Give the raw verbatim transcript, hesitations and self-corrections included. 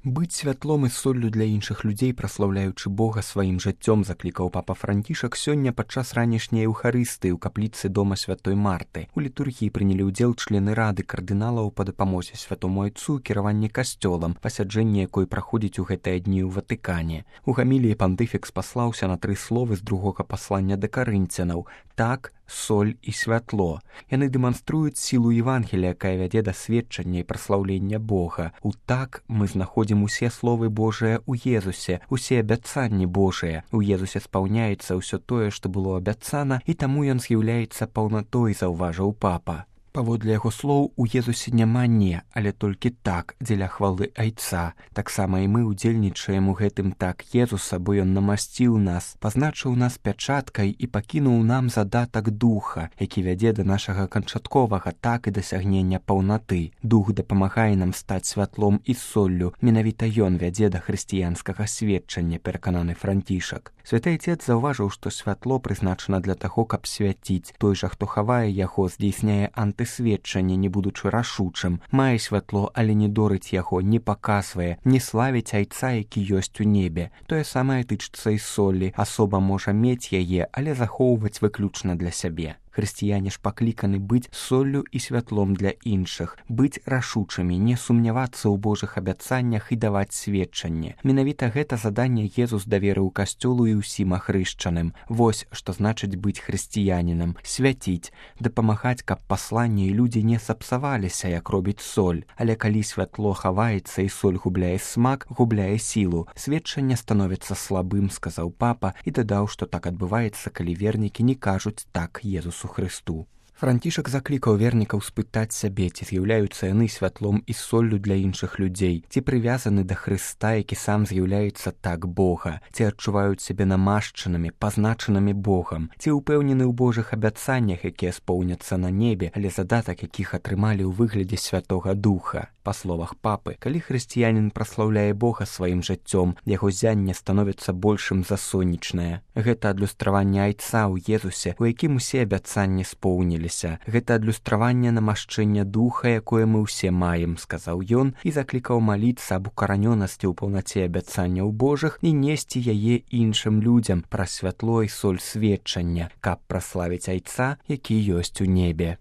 Быць святлом і соллю для іншых людзей, праслаўляючы Бога сваім жыццём, заклікаў папа Францішак сёння падчас ранішняй эўхарыстыі ў капліцы дома святой Марты. У літургіі прынялі ўдзел члены рады кардыналаў па дапамозе святому айцу, кіраванне касцёлам, пасяджэнне якой праходзіць у гэтыя дні ў Ватыкане. У гаміліі пантыфік спаслаўся на тры словы з другога паслання да карынцянаў: так, соль і святло. Яны дэманструюць сілу Евангелія, якая вядзе да сведчання і праслаўлення Бога. У так мы знаходзім усе словы Божыя ў Езусе, усе абяцанні Божыя. У Езусе спаўняецца ўсё тое, што было абяцана, і таму ён з'яўляецца паўнатой, заўважыў папа. Паводле яго слоў, у Езусе няма не, але толькі так, дзеля хвалы айца. Таксама і мы ўдзельнічаем у гэтым так Езуса, бо ён намасціў нас, пазначыў нас пячаткай і пакінуў нам задатак духа, які вядзе да нашага канчатковага так і дасягнення паўнаты. Дух дапамагае нам стаць святлом і соллю. Менавіта ён вядзе да хрысціянскага сведчання, перакананы Францішак. Святы айцец заўважыў, што святло прызначана для таго, каб свяціць. Той жа, хто хавае яго, здзейсняе антысведчанне, не будучы рашучым. Мае святло, але не дорыць яго, не паказвае, не славіць айца, які ёсць у небе. Тое самае тычыцца і солі. Асоба можа мець яе, але захоўваць выключна для сябе. Хрысціяне ж пакліканы быць соллю і святлом для іншых, быць рашучымі, не сумнявацца ў Божых абяцаннях і даваць сведчанне. Менавіта гэта заданне Езус даверыў касцёлу і ўсім ахрышчаным. Вось што значыць быць хрысціянінам: свяціць, дапамагаць, каб пасланне і людзі не сапсаваліся, як робіць соль. Але калі святло хаваецца і соль губляе смак, губляе сілу, сведчанне становіцца слабым, сказаў папа, і дадаў, што так адбываецца, калі вернікі не кажуць так Езусу Христу. Францішак заклікаў вернікаў спытаць сябе, ці з'яўляюцца яны святлом і соллю для іншых людзей, ці прывязаны да Хрыста, які сам з'яўляецца так Бога, ці адчуваюць сябе намашчанымі, пазначанымі Богам, ці ўпэўнены ў Божых абяцаннях, якія споўняцца на небе, але задатак якіх атрымалі ў выглядзе Святога Духа. Па словах папы, калі хрысціянін праслаўляе Бога сваім жыццём, яго зянне становіцца большым за сонечнае. Гэта адлюстраванне айца ў Езусе, у якім усе абяцанні споўніліся. Гэта адлюстраванне намашчэння духа, якое мы ўсе маем, сказаў ён, і заклікаў маліцца аб укаранёнасці ў паўнаце абяцанняў Божых і несці яе іншым людзям праз святло і соль сведчання, каб праславіць айца, які ёсць у небе.